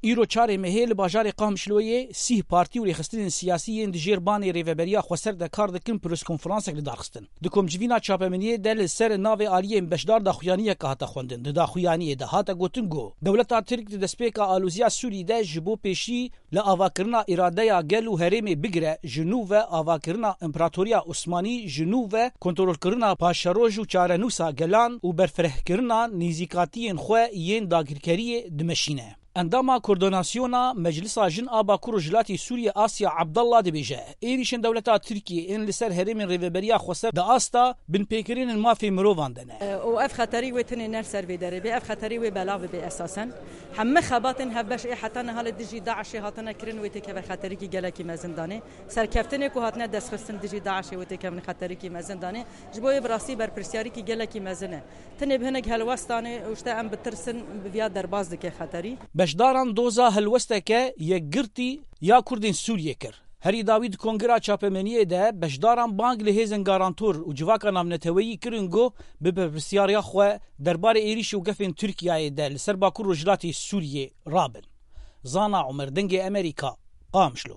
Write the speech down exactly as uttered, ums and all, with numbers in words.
Îro çarê mehê li bajarê Qamişloyê sîh partî û rêxistinên siyasî yên di jêr banê Rêveberiya Xweser de kar dikin, pirskonferansek li dar xistin. Di komcivîna çapemeniyê de li ser navê aliyên beşdar daxuyaniyek hate xwendin. Di daxuyaniyê de hate gotin ku dewleta Tirk di destpêka aloziya Sûrî de ji bo pêşî li avakirina îradeya gel û herêmê bigire, ji nû ve avakirina Împaratoriya Osmanî, ji nû ve kontrolkirina paşeroj û çarenûsa gelan û berfirehkirina nêzîkatiyên xwe yên dagirkeriyê dimeşîne. Endama Koordinasyona Meclisa Jin a Bakur Rojhilatê Sûriyê Asya Abdallah dibêje, êrîşên dewleta Tirkiyê ên li ser herêmên Rêveberiya Xweser di asta binpêkirinên mafê mirovan de ne. Û ev xeterî wê tenê ne li ser vê derê bê, ev xeterî wê belav bibe esasen. Hemî xebatên hevbeş ê heta niha li dijî DAIŞê hatine kirin wê têkeve xeterîkî gelekî mezin danê. Serkeftinê ku hatine destxistin dijî DAIŞê wê têkevin xeterîkî mezin danê. Ji bo wê bi rastî berpirsiyarîkî gelekî mezin e. Tenê bi hinek helwestan e û işte em bitirsin, bi viya derbas dike xeterî. Beşdaran doza helwesteke yekgirtî ya Kurdên Sûriyê kir. Herî dawî di kongira çapemeniyê de beşdaran bang li hêzên garantor û civaka navneteweyî kirin ku bi berpirsyariya xwe derbarê êrîş û gefên Tirkiyeyê de li ser Bakur Rojhilatê Sûriyê rabin. Zana Omer, Dengê Emerîka, Qamişlo.